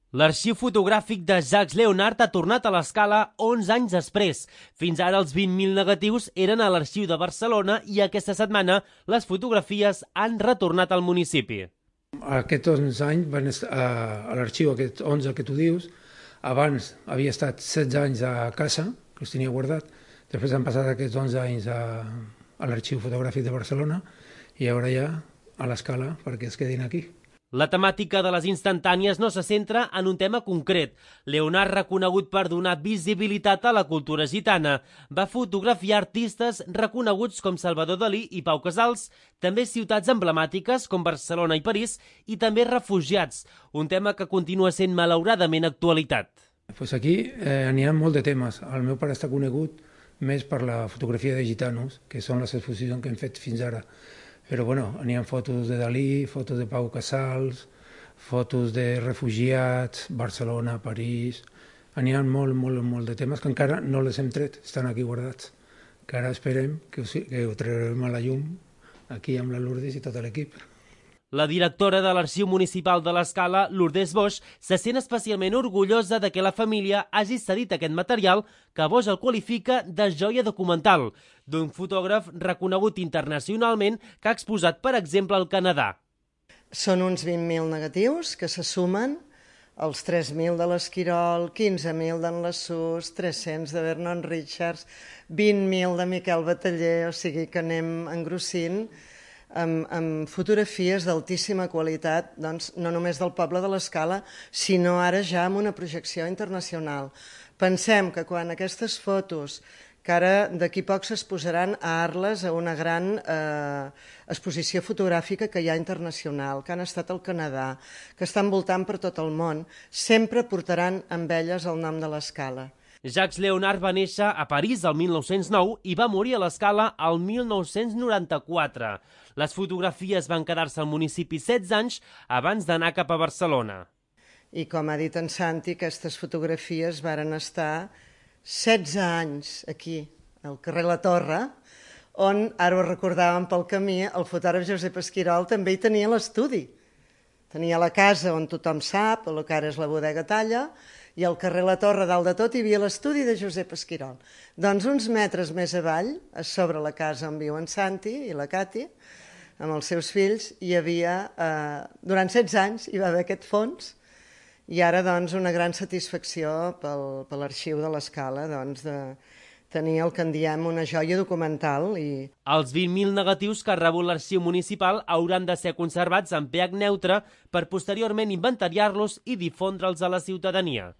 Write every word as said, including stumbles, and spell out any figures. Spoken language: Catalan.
L'arxiu fotogràfic de Jacques Léonard ha tornat a l'Escala onze anys després. Fins ara els vint mil negatius eren a l'arxiu de Barcelona i aquesta setmana les fotografies han retornat al municipi. Aquests onze anys van estar a l'arxiu, aquests onze que tu dius. Abans havia estat setze anys a casa, que els tenia guardat. Després han passat aquests onze anys a, a l'arxiu fotogràfic de Barcelona i ara ja a l'Escala perquè es quedin aquí. La temàtica de les instantànies no se centra en un tema concret. Léonard, reconegut per donar visibilitat a la cultura gitana, va fotografiar artistes reconeguts com Salvador Dalí i Pau Casals, també ciutats emblemàtiques com Barcelona i París i també refugiats, un tema que continua sent malauradament actualitat. Pues aquí eh, n'hi ha molt de temes. El meu pare està conegut més per la fotografia de gitanos, que són les exposicions que hem fet fins ara. Però bueno, n'hi ha fotos de Dalí, fotos de Pau Casals, fotos de refugiats, Barcelona, París. N'hi ha molt, molt, molt de temes que encara no les hem tret, estan aquí guardats. Que ara esperem que ho, que ho traurem a la llum aquí amb la Lourdes i tot l'equip. La directora de l'Arxiu Municipal de l'Escala, Lourdes Boix, se sent especialment orgullosa de que la família hagi cedit aquest material que Boix el qualifica de joia documental, d'un fotògraf reconegut internacionalment que ha exposat, per exemple, al Canadà. Són uns vint mil negatius que se sumen els tres mil de l'Esquirol, quinze mil d'en Lassús, tres-cents de Vernon Richards, vint mil de Miquel Bataller, o sigui que anem engrossint amb, amb fotografies d'altíssima qualitat, doncs, no només del poble de l'Escala, sinó ara ja amb una projecció internacional. Pensem que quan aquestes fotos, que ara d'aquí poc s'exposaran a Arles a una gran eh, exposició fotogràfica que hi ha internacional, que han estat al Canadà, que estan voltant per tot el món, sempre portaran amb elles el nom de l'Escala. Jacques Léonard va néixer a París el mil nou-cents nou i va morir a l'Escala el mil nou-cents noranta-quatre. Les fotografies van quedar-se al municipi setze anys abans d'anar cap a Barcelona. I com ha dit en Santi, aquestes fotografies varen estar setze anys aquí, al carrer La Torre, on, ara ho recordàvem pel camí, el fotògraf Josep Esquirol també hi tenia l'estudi. Tenia la casa on tothom sap, el que ara és la bodega Talla, i al carrer La Torre, dalt de tot, hi havia l'estudi de Josep Esquirol. Doncs uns metres més avall, a sobre la casa on viu en Santi i la Cati, amb els seus fills, hi havia, eh, durant setze anys, hi va haver aquest fons, i ara, doncs, una gran satisfacció pel, per l'arxiu de l'Escala, doncs, de tenir el que en diem una joia documental. I... Els vint mil negatius que ha rebut l'arxiu municipal hauran de ser conservats en pH neutre per posteriorment inventariar-los i difondre'ls a la ciutadania.